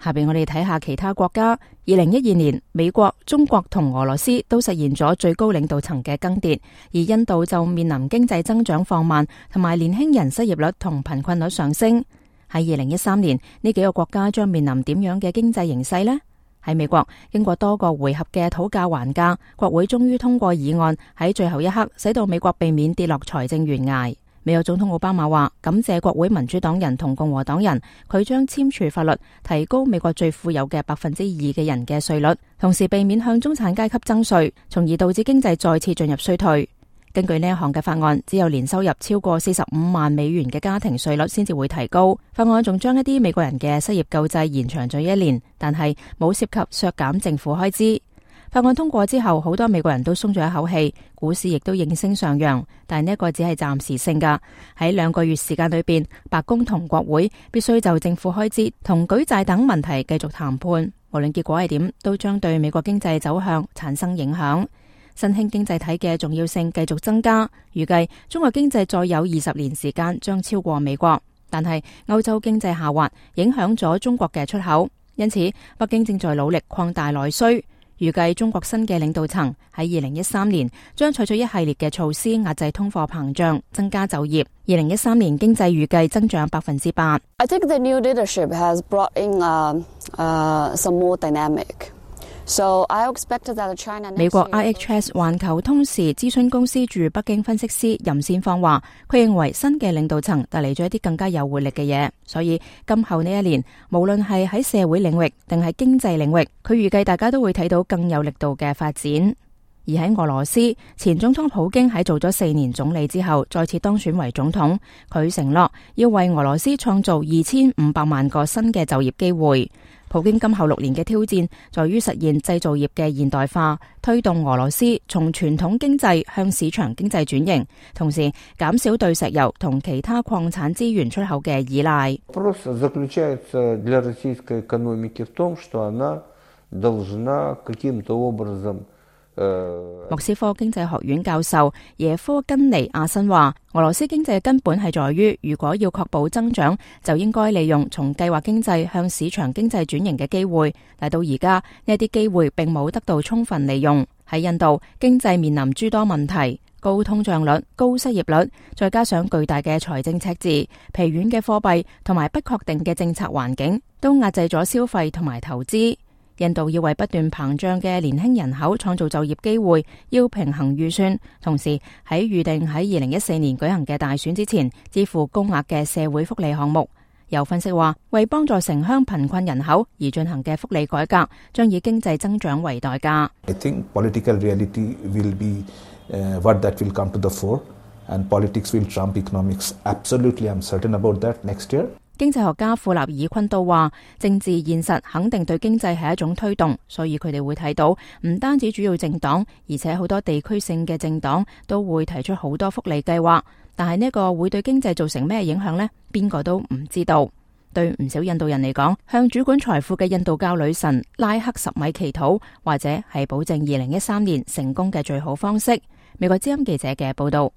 下邊我哋睇下其他國家。2012年，美國、中國同俄羅斯都實現咗最高領導層嘅更迭，而印度就面臨經濟增長放慢，同埋年輕人失業率同貧困率上升。喺2013年，呢幾個國家將面臨點樣嘅經濟形勢呢？喺美國，經過多個回合嘅討價還價，國會終於通過議案，喺最後一刻使到美國避免跌落財政懸崖。美國總統奧巴馬話感謝國會民主黨人同共和黨人，佢將簽署法律提高美國最富有嘅2%嘅人嘅稅率，同時避免向中產階級徵稅，從而導致經濟再次進入衰退。根據呢一項嘅法案，只有年收入超過45萬美元嘅家庭稅率先至會提高。法案仲將一啲美國人嘅失業救濟延長咗1年，但係冇涉及削減政府開支。法案通過之後，好多美國人都鬆咗一口氣，股市亦都應聲上揚。但係呢一個只係暫時性噶。喺2個月時間裏邊，白宮同國會必須就政府開支同舉債等問題繼續談判。無論結果係點，都將對美國經濟走向產生影響。新興經濟體嘅重要性繼續增加，預計中國經濟再有20年時間將超過美國。但係歐洲經濟下滑，影響咗中國嘅出口，因此北京正在努力擴大內需。預計中國新嘅領導層喺2013年將採取一系列嘅措施壓制通貨膨脹，增加就業。2013年經濟預計增長8%。I think the new leadership has brought in some more dynamic. So I expect that China. 美國 IHS 環球通時諮詢公司駐北京分析師任先芳話，佢認為新嘅領導層帶嚟咗一啲更加有活力嘅嘢，所以今後呢一年，無論係喺社會領域定係經濟領域，佢預計大家都會睇到更有力度嘅發展。而喺俄羅斯，前總統普京喺做咗4年總理之後，再次當選為總統，佢承諾要為俄羅斯創造2500萬個新嘅就業機會。普京今後6年嘅挑戰在於實現製造業嘅現代化，推動俄羅斯從傳統經濟向市場經濟轉型，同時減少對石油同其他礦產資源出口嘅依賴。莫斯科經濟學院教授耶科根尼亞申話，俄羅斯經濟嘅根本係在於，如果要確保增長，就應該利用從計劃經濟向市場經濟轉型嘅機會。但到而家呢啲機會並冇得到充分利用。喺印度，經濟面臨諸多問題，高通脹率、高失業率，再加上巨大嘅財政赤字、疲軟嘅貨幣同埋不確定嘅政策環境，都壓制咗消費同埋投資。印度要為不斷膨脹嘅年輕人口創造就業機會，要平衡預算，同時喺預定喺2014年舉行嘅大選之前，支付高額嘅社會福利項目。有分析話，為幫助城鄉貧困人口而進行嘅福利改革，將以經濟增長為代價。I think political reality will be what that will come to the fore, and politics will trump economics. Absolutely, I'm certain about that next year. 經濟學家庫納爾昆都話，政治現實肯定對經濟係一種推動，所以佢哋會睇到唔單止主要政黨，而且好多地區性嘅政黨都會提出好多福利計劃。但係呢個會對經濟造成咩影響呢？邊個都唔知道。對唔少印度人嚟講，向主管財富嘅印度教女神拉克什米祈禱，或者係保證2013年成功嘅最好方式。美國之音記者嘅報道。